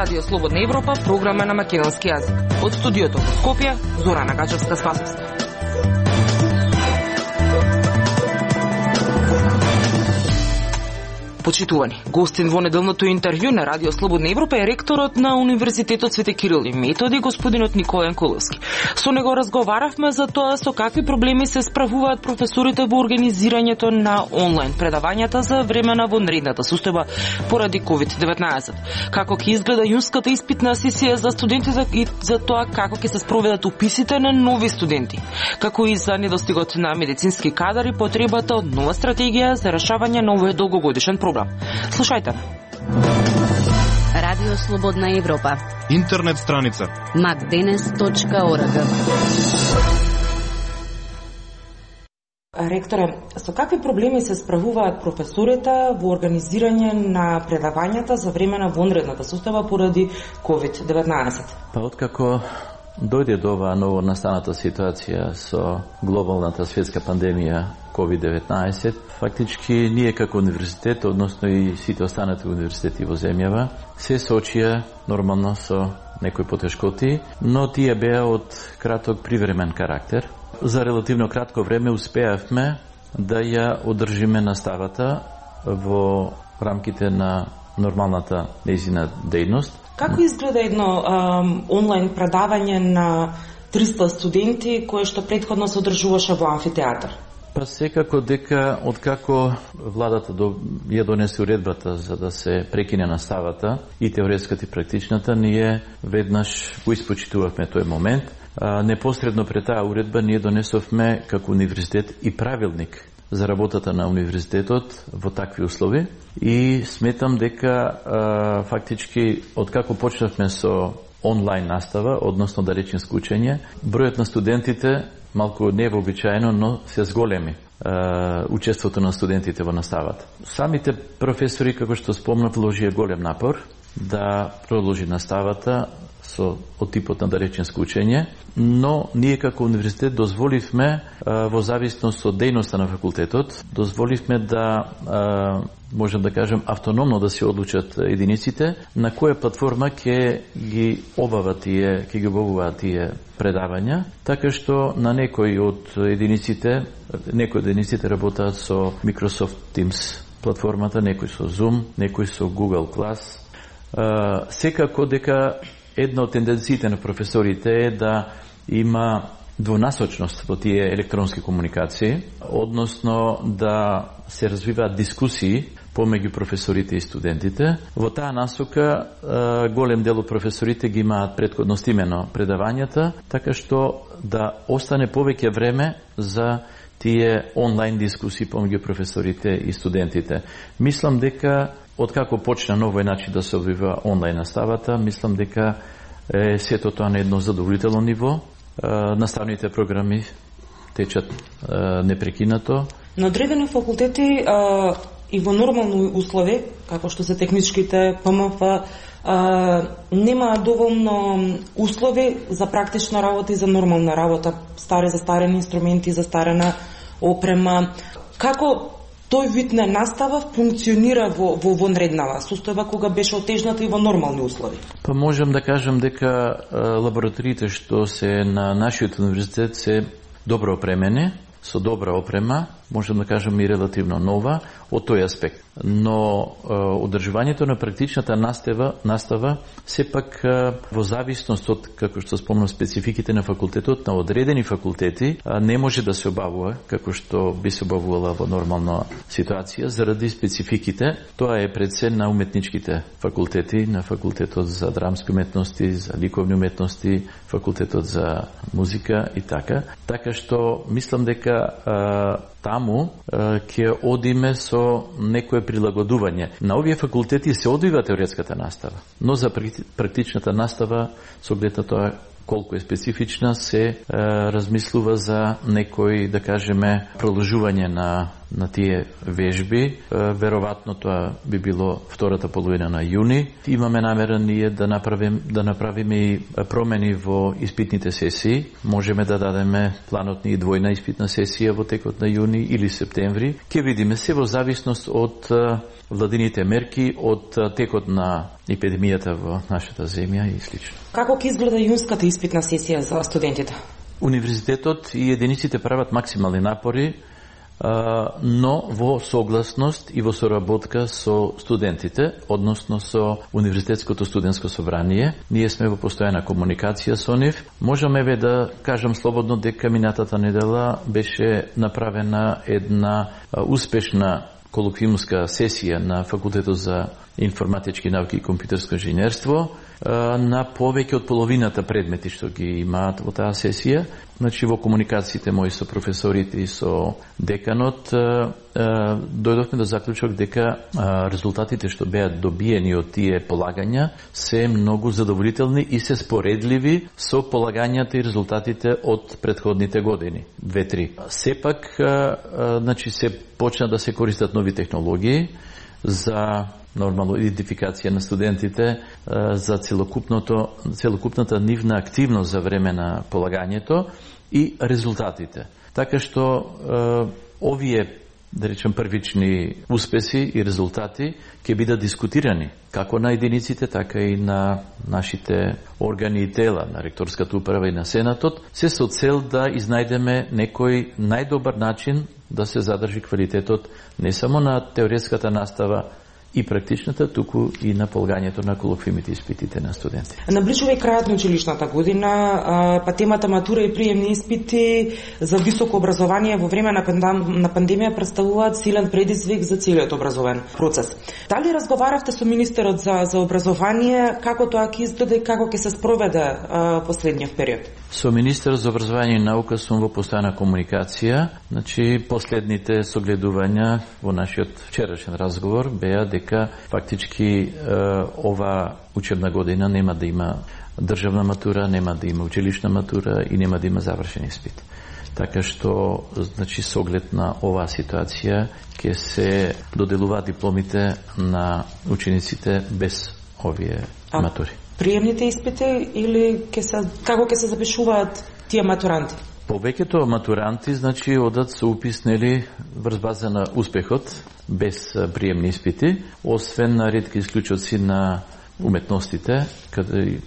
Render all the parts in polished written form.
Радио Слободна Европа, програма на македонски јазик. Од студиото во Скопје, Зорана Гачевска-Спасовска. Почитувани, гостин во неделното интервју на Радио Слободна Европа е ректорот на Универзитетот Свети Кирил и Методи, господинот Николен Коловски. Со него разговаравме за тоа со какви проблеми се справуваат професорите во организирањето на онлайн предавањата за време на вонредната состојба поради COVID-19. Како ќе изгледа јунската испитна сесија за студентите и за тоа како ќе се спроведат уписите на нови студенти, како и за недостигот на медицински кадар и потребата од нова стратегија за решавање на овој долгогодишен проблем. Слушајте. Радио Слободна Европа. Интернет страница macdenes.org. Ректоре, со какви проблеми се справуваат професорите во организирање на предавањата за време на вонредната состојба поради COVID-19? Па откако дојде до оваа ново настаната ситуација со глобалната светска пандемија COVID-19, фактички ние како универзитет, односно и сите останати универзитети во земјава, се соочија нормално со некои потешкоти, но тие беа од краток привремен карактер. За релативно кратко време успеавме да ја одржиме наставата во рамките на нормалната нејзина дејност. Како изгледа едно онлайн предавање на 300 студенти кое што претходно се одржуваше во амфитеатар? Па секако дека откако владата ја донесе уредбата за да се прекине наставата и теоретската и практичната, ние веднаш го испочитувавме тој момент. Непосредно пред таа уредба ние донесовме како универзитет и правилник за работата на универзитетот во такви услови и сметам дека фактички откако почнавме со онлайн настава, односно дареченско учење, бројот на студентите малку невообичаено, но се зголеми учеството на студентите во наставата. Самите професори, како што спомнав, вложија голем напор да продолжи наставата со од типот на дареченско учење, но ние како универзитет дозволивме во зависност од дејноста на факултетот, дозволивме да можем да кажем автономно да се одлучат единиците на која платформа ќе ги обават тие предавања, така што на некои од единиците работат со Microsoft Teams платформата, некои со Zoom, некои со Google Class. Секако дека една од тенденциите на професорите е да има двонасочност во тие електронски комуникации, односно да се развиваат дискусии помеѓу професорите и студентите. Во таа насока голем дел од професорите ги имаат претходно снимено предавањата, така што да остане повеќе време за тие онлайн дискусии помеѓу професорите и студентите. Мислам дека откако почна на овој начин да се одвива онлайн наставата, мислам дека сето тоа на едно задоволително ниво. Наставните програми течат непрекинато. На одредени факултети и во нормални услови, како што се техничките ПМФ, нема доволно услови за практична работа и за нормална работа, застарени инструменти, застарена опрема. Како тој вид на настава функционира во вонреднава состојба кога беше отежната и во нормални услови? Па можам да кажам дека лабораториите што се на нашиот универзитет се добро опремени, со добра опрема, можам да кажам и релативно нова од тој аспект. Но одржувањето на практичната настава сепак во зависност од, како што спомнав, спецификите на факултетот, на одредени факултети не може да се обавува како што би се обавувала во нормална ситуација заради спецификите. Тоа е пред се на уметничките факултети, на факултетот за драмски уметности, за ликовни уметности, факултетот за музика и така. Така што мислам дека таму ќе одиме со некое прилагодување. На овие факултети се одвива теоретската настава, но за практичната настава, со оглед на тоа колку е специфична, се размислува за некој, да кажеме, продолжување на тие вежби. Веројатно тоа би било втората половина на јуни. Имаме намера ние да направиме и промени во испитните сесии. Можеме да дадеме планот ни двојна испитна сесија во текот на јуни или септември. Ќе видиме се во зависност од владините мерки, од текот на епидемијата во нашата земја и слично. Како ќе изгледа јунската испитна сесија за студентите? Универзитетот и единиците прават максимални напори, но во согласност и во соработка со студентите, односно со Универзитетското студентско собрание. Ние сме во постојана комуникација со нив. Можеме да кажам слободно дека минатата недела беше направена една успешна колоквиумска сесија на Факултетот за информатички науки и компјутерско инженерство на повеќе од половината предмети што ги имаат во таа сесија. Значи во комуникациите мои со професорите и со деканот дојдовме до заклучок дека резултатите што беа добиени од тие полагања се многу задоволителни и се споредливи со полагањата и резултатите од претходните години, 2-3. Сепак, значи се почна да се користат нови технологии за нормално идентификација на студентите, за целокупната нивна активност за време на полагањето и резултатите. Така што овие, да речем, првични успеси и резултати ќе бидат дискутирани како на единиците, така и на нашите органи и тела, на ректорската управа и на Сенатот, се со цел да изнајдеме некој најдобар начин да се задржи квалитетот не само на теоретската настава и практичната, туку и на полагањето на колоквиумите испитите на студенти. Наближува и крајот на училишната година, па темата матура и приемни испити за високо образование во време на пандемија представуваат силен предизвик за целиот образовен процес. Дали разговаравте со министерот за образование, како тоа ќе изгледа и како ќе се спроведе последниот период? Со министерот за образование и наука сум во постојана комуникација. Значи, последните согледувања во нашиот вчерашен разговор беа дека фактички ова учебна година нема да има државна матура, нема да има училишна матура и нема да има завршен испит. Така што, значи, со оглед на оваа ситуација ќе се доделуваат дипломите на учениците без овие матури. Приемните испити или како ќе се запишуваат тие матуранти? Повеќето матуранти, значи, одат со упис, нели, врз база на успехот, без приемни испити, освен на ретки исклучоци на уметностите, каде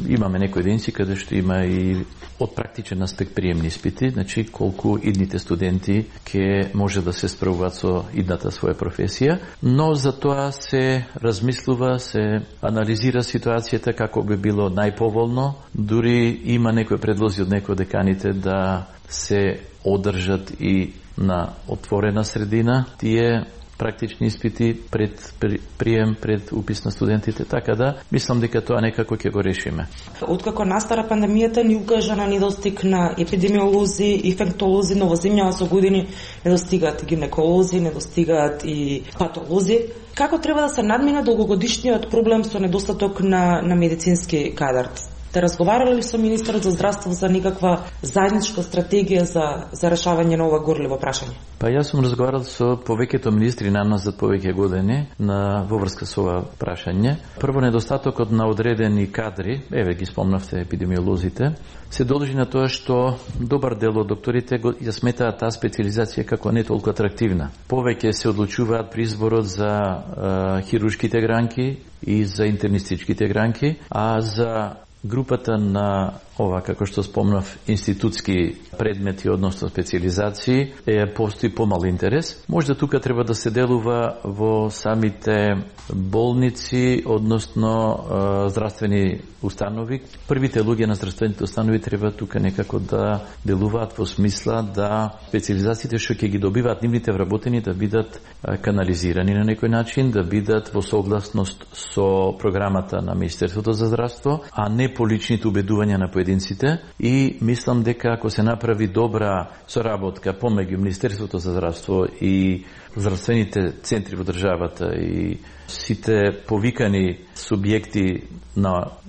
имаме некои единици каде што има и од практичен аспект приемни испити, значи колку идните студенти ќе може да се справуваат со идната своја професија, но за тоа се размислува, се анализира ситуацијата како би било најповолно, дури има некои предлози од некои деканите да се одржат и на отворена средина тие практични испити пред прием, пред упис на студентите, така да мислам дека тоа некако ќе го решиме. Откако настара пандемијата ни укажа на недостиг на епидемиолози, инфектолози, но во земјава со години недостигаат и гинеколози, недостигаат и патолози. Како треба да се надмине долгогодишниот проблем со недостаток на медицински кадар? Те разговарали ли со министерот за здравство за никаква заедничка стратегија за решавање на ова горливо прашање? Па јас сум разговарал со повеќето министри на нас за повеќе години во врска со ова прашање. Прво, недостатокот на одредени кадри, еве ги спомнавте епидемиолозите, се должи на тоа што добар дел од докторите ја сметаат таа специализација како не толку атрактивна. Повеќе се одлучуваат при изборот за хируршките гранки и за интернистичките гранки, а за групата на ова, како што спомнав, институтски предмети, односно специализации, постои помал интерес. Може да тука треба да се делува во самите болници, односно здравствени установи. Првите луѓе на здравствените установи треба тука некако да делуваат во смисла да специализациите што ќе ги добиваат нивните вработени да бидат канализирани на некој начин, да бидат во согласност со програмата на Министерството за здравство, а не по личните убедувања на поединците. И мислам дека ако се направи добра соработка помеѓу Министерството за здравство и здравствените центри во државата и сите повикани субјекти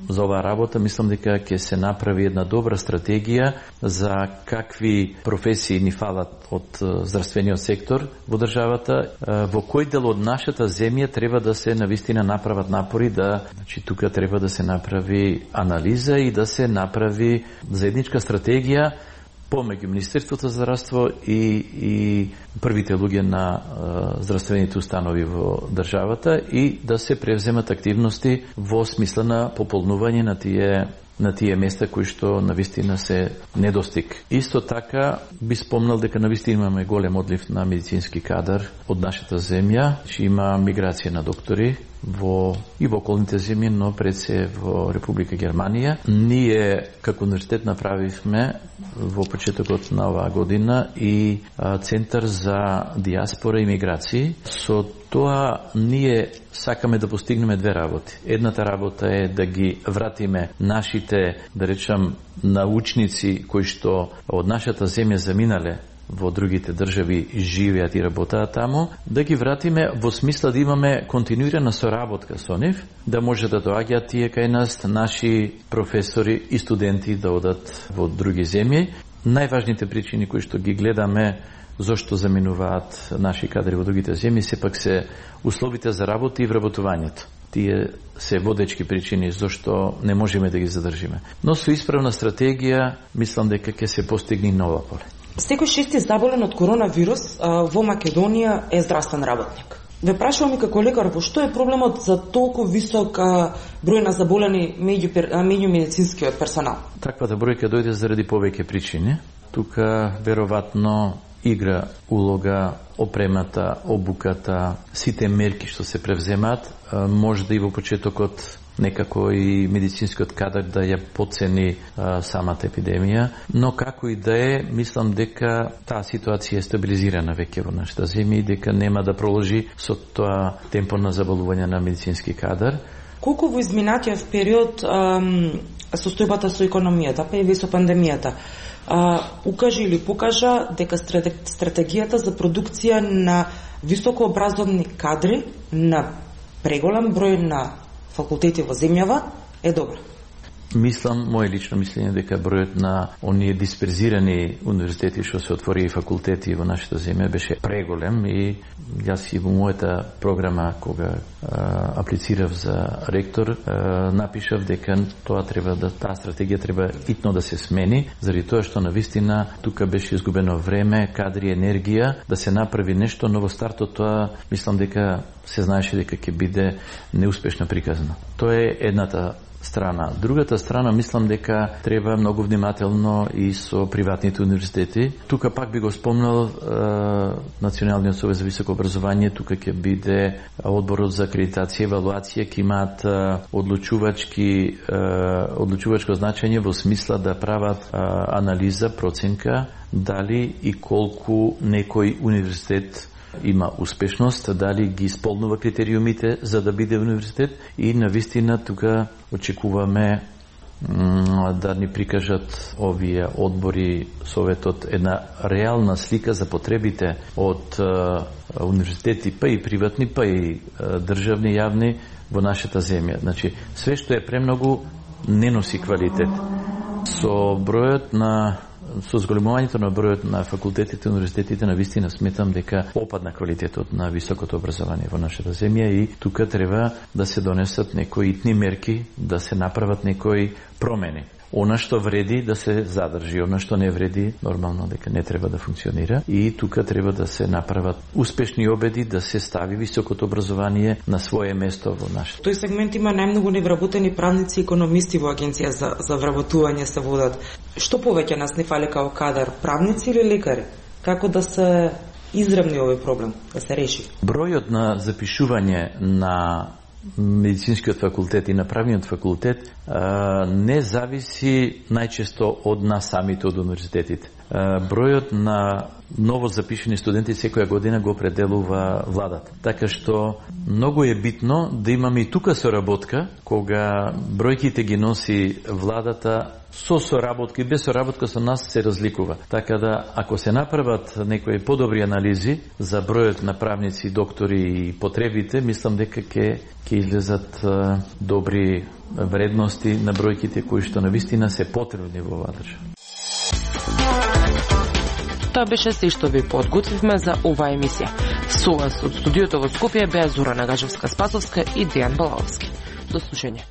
за оваа работа, мислам дека ќе се направи една добра стратегија за какви професии ни фалат од здравствениот сектор во државата, во кој дел од нашата земја треба да се навистина направат напори тука треба да се направи анализа и да се направи заедничка стратегија помеѓу Министерството за здравство и првите луѓе на здравствените установи во државата и да се превземат активности во смисла на пополнување на тие места кои што навистина се недостиг. Исто така би спомнал дека навистина имаме голем одлив на медицински кадар од нашата земја, че има миграција на доктори и во околните земји, но пред се во Република Германија. Ние како универзитет направивме во почетокот на оваа година и Центар за диаспора и миграции. Со тоа ние сакаме да постигнеме две работи. Едната работа е да ги вратиме нашите, да речам, научници кои што од нашата земја заминале во другите држави живеат и работаат таму, да ги вратиме во смисла да имаме континуирана соработка со нив, да може да доаѓаат тие кај нас наши професори и студенти да одат во други земји. Најважните причини кои што ги гледаме зошто заминуваат наши кадри во другите земји сепак се условите за работа и вработувањето. Тие се водечки причини зошто не можеме да ги задржиме. Но со исправна стратегија мислам дека ќе се постигне нова поле. Секој шести заболен од коронавирус во Македонија е здравствен работник. Ве прашувам и како лекар, во што е проблемот за толку висок број на заболени меѓу медицинскиот персонал? Таквата бројка дојде заради повеќе причини. Тука веројатно игра улога опремата, обуката, сите мерки што се превземаат, може да и во почетокот некако и медицинскиот кадар да ја подцени самата епидемија, но како и да е, мислам дека таа ситуација е стабилизирана веќе во нашата земја и дека нема да проложи со тоа темпо на заболување на медицински кадар. Колку во изминатиот период состојбата со економијата, па и со пандемијата, укажа или покажа дека стратегијата за продукција на високообразовни кадри на преголем број на факултети во земјава е добра? Мислам, моје лично мислење дека бројот на оние дисперзирани универзитети што се отвори и факултети во нашата земја беше преголем и јас и во мојата програма кога аплицирав за ректор напишав дека таа стратегија треба итно да се смени, заради тоа што навистина тука беше изгубено време, кадри, енергија да се направи нешто, но во стартот тоа мислам дека се знаеше дека ќе биде неуспешна приказна. Тоа е едната страна. Другата страна, мислам дека треба многу внимателно и со приватните универзитети. Тука пак би го спомнал Националниот совет за високо образование, тука ќе биде одборот за акредитација и евалуација, ќе имаат одлучувачко значење во смисла да прават анализа, проценка дали и колку некој универзитет има успешност, дали ги исполнува критериумите за да биде универзитет и навистина тука очекуваме да ни прикажат овие одбори, советот, една реална слика за потребите од универзитети, па и приватни, па и државни, јавни во нашата земја. Значи, све што е премногу не носи квалитет. Со зголемувањето на бројот на факултетите и универзитетите навистина сметам дека опадна квалитетот на високото образование во нашата земја и тука треба да се донесат некои итни мерки, да се направат некои промени. Она што вреди да се задржи, она што не вреди нормално дека не треба да функционира и тука треба да се направат успешни обеди да се стави високото образование на свое место во нашата. Тој сегмент има најмногу невработени правници и економисти во агенција за вработување се водат. Што повеќе нас не фали као кадар, правници или лекари? Како да се изравни овој проблем, да се реши? Бројот на запишување на медицинскиот факултет и на правниот факултет не зависи најчесто од нас самите, од универзитетите. Бројот на ново запишени студенти секоја година го определува владата. Така што многу е битно да имаме и тука соработка, кога бројките ги носи владата, со соработка и без соработка со нас се разликува. Така да, ако се направат некои подобри анализи за бројот на правници, доктори и потребите, мислам дека ќе излезат добри вредности на бројките кои што навистина се потребни во оваа држава. Тоа беше се што ви подготвивме за оваа емисија. Со вас од студиото во Скопје беа Зора Нагажевска-Спасовска и Дејан Балаовски. До слушање.